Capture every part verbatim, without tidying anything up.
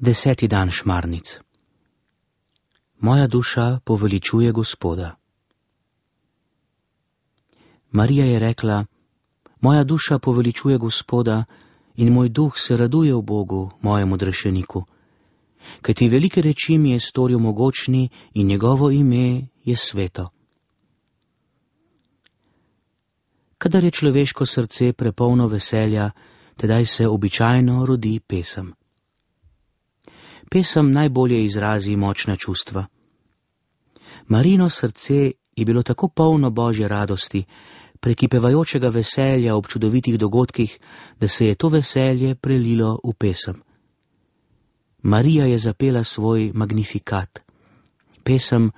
Deseti dan šmarnic. Moja duša poveličuje Gospoda. Marija je rekla: moja duša poveličuje Gospoda in moj duh se raduje v Bogu, mojemu odrešeniku. Kajti velike reči mi je storil mogočni in njegovo ime je sveto. Kadar je človeško srce prepolno veselja, tedaj se običajno rodi pesem. Pesem najbolje izrazi močna čustva. Marijino srce je bilo tako polno Božje radosti, prekipevajočega veselja ob čudovitih dogodkih, da se je to veselje prelilo v pesem. Marija je zapela svoj magnifikat. Pesem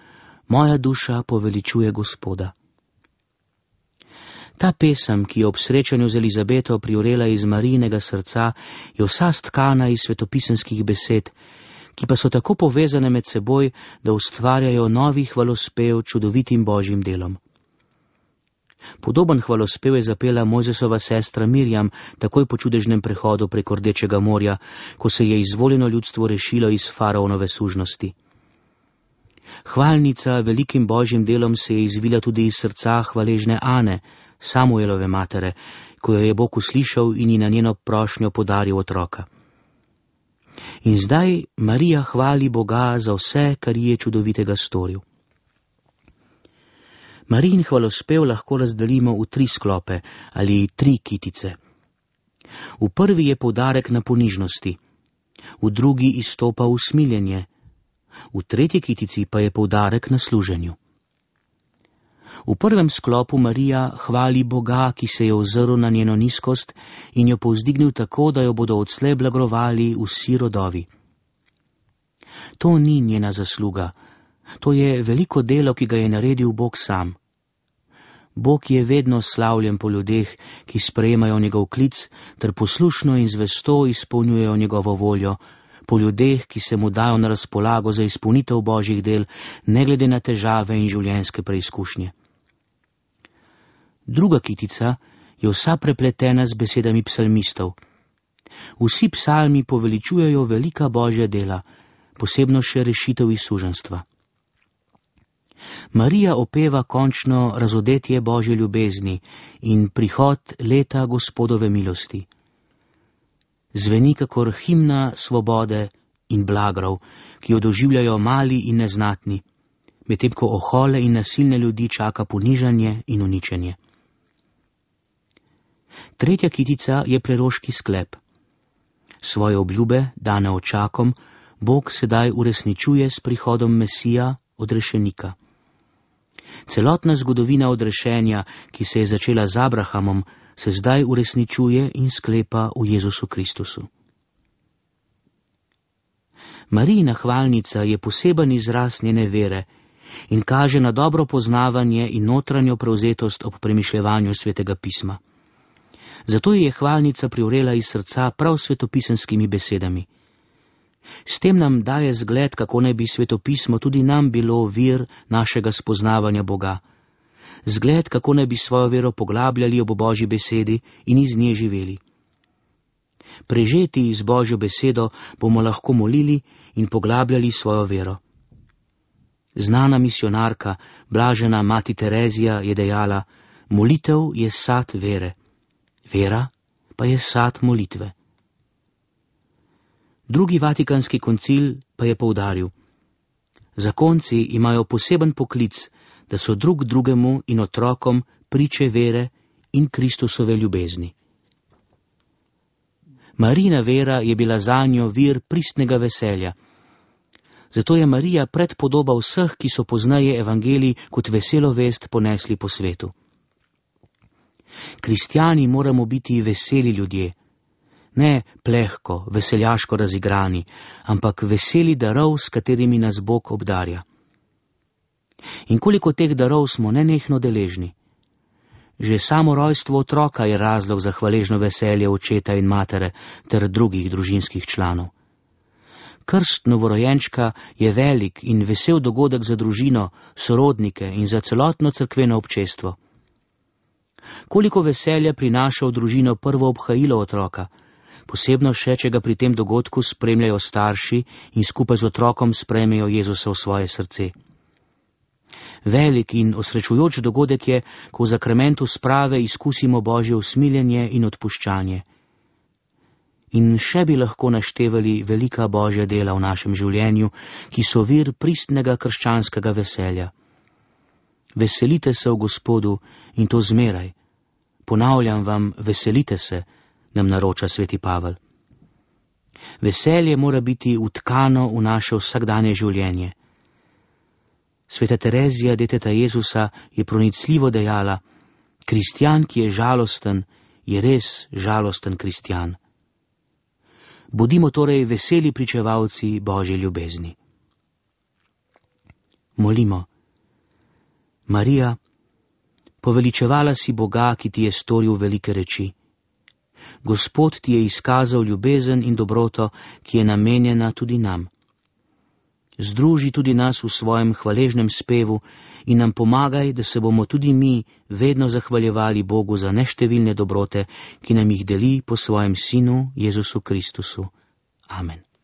Moja duša poveličuje Gospoda. Ta pesem, ki je ob srečanju z Elizabeto privrela iz Marijinega srca, je vsa stkana iz svetopisemskih besed, ki pa so tako povezane med seboj, da ustvarjajo novi hvalospev čudovitim Božjim delom. Podoben hvalospev je zapela Mojzesova sestra Mirjam takoj po čudežnem prehodu preko Rdečega morja, ko se je izvoljeno ljudstvo rešilo iz faraonove sužnosti. Hvalnica velikim Božjim delom se je izvila tudi iz srca hvaležne Ane, Samuelove matere, ko jo je Bog uslišal in ji na njeno prošnjo podaril otroka. In zdaj Marija hvali Boga za vse, kar ji je čudovitega storil. Marijin hvalospev lahko razdelimo v tri sklope ali tri kitice. V prvi je poudarek na ponižnosti, v drugi izstopa usmiljenje, v tretji kitici pa je poudarek na služenju. V prvem sklopu Marija hvali Boga, ki se je ozrl na njeno nizkost in jo povzdignil tako, da jo bodo odslej blagrovali vsi rodovi. To ni njena zasluga, to je veliko delo, ki ga je naredil Bog sam. Bog je vedno slavljen po ljudeh, ki sprejemajo njegov klic, ter poslušno in zvesto izpolnjujejo njegovo voljo, po ljudeh, ki se mu dajo na razpolago za izpolnitev Božjih del, ne glede na težave in življenjske preizkušnje. Druga kitica je vsa prepletena z besedami psalmistov. Vsi psalmi poveličujejo velika Božja dela, posebno še rešitev iz suženjstva. Marija opeva končno razodetje Božje ljubezni in prihod leta Gospodove milosti. Zveni kakor himna svobode in blagrov, ki jo doživljajo mali in neznatni, medtem ko ohole in nasilne ljudi čaka ponižanje in uničenje. Tretja kitica je preroški sklep. Svoje obljube, dane očakom, Bog sedaj uresničuje s prihodom Mesija, odrešenika. Celotna zgodovina odrešenja, ki se je začela z Abrahamom, se zdaj uresničuje in sklepa v Jezusu Kristusu. Marijina hvalnica je poseben izraz njene vere in kaže na dobro poznavanje in notranjo prevzetost ob premišljevanju Svetega pisma. Zato je hvalnica privrela iz srca prav svetopisemskimi besedami. S tem nam daje zgled, kako naj bi svetopismo tudi nam bilo vir našega spoznavanja Boga. Zgled, kako naj bi svojo vero poglabljali ob Božji besedi in iz nje živeli. Prežeti z Božjo besedo bomo lahko molili in poglabljali svojo vero. Znana misionarka, blažena mati Terezija, je dejala: molitev je sad vere, vera pa je sad molitve. Drugi vatikanski koncil pa je poudaril: zakonci imajo poseben poklic, da so drug drugemu in otrokom priče vere in Kristusove ljubezni. Marijina vera je bila zanjo vir pristnega veselja. Zato je Marija predpodoba vseh, ki so poznaje evangelij kot veselo vest ponesli po svetu. Kristjani moramo biti veseli ljudje, ne plehko, veseljaško razigrani, ampak veseli darov, s katerimi nas Bog obdarja. In koliko teh darov smo nenehno deležni. Že samo rojstvo otroka je razlog za hvaležno veselje očeta in matere ter drugih družinskih članov. Krst novorojenčka je velik in vesel dogodek za družino, sorodnike in za celotno cerkveno občestvo. Koliko veselja prinaša v družino prvo obhajilo otroka, posebno še, če ga pri tem dogodku spremljajo starši in skupaj z otrokom sprejmejo Jezusa v svoje srce. Velik in osrečujoč dogodek je, ko v zakramentu sprave izkusimo Božje usmiljenje in odpuščanje. In še bi lahko naštevali velika Božja dela v našem življenju, ki so vir pristnega krščanskega veselja. Veselite se v Gospodu in to zmeraj. Ponavljam vam, veselite se, nam naroča sveti Pavel. Veselje mora biti utkano v naše vsakdanje življenje. Sveta Terezija, deteta Jezusa, je pronicljivo dejala: kristjan, ki je žalosten, je res žalosten kristjan. Bodimo torej veseli pričevalci Božje ljubezni. Molimo. Marija, poveličevala si Boga, ki ti je storil velike reči. Gospod ti je izkazal ljubezen in dobroto, ki je namenjena tudi nam. Združi tudi nas v svojem hvaležnem spevu in nam pomagaj, da se bomo tudi mi vedno zahvaljevali Bogu za neštevilne dobrote, ki nam jih deli po svojem Sinu Jezusu Kristusu. Amen.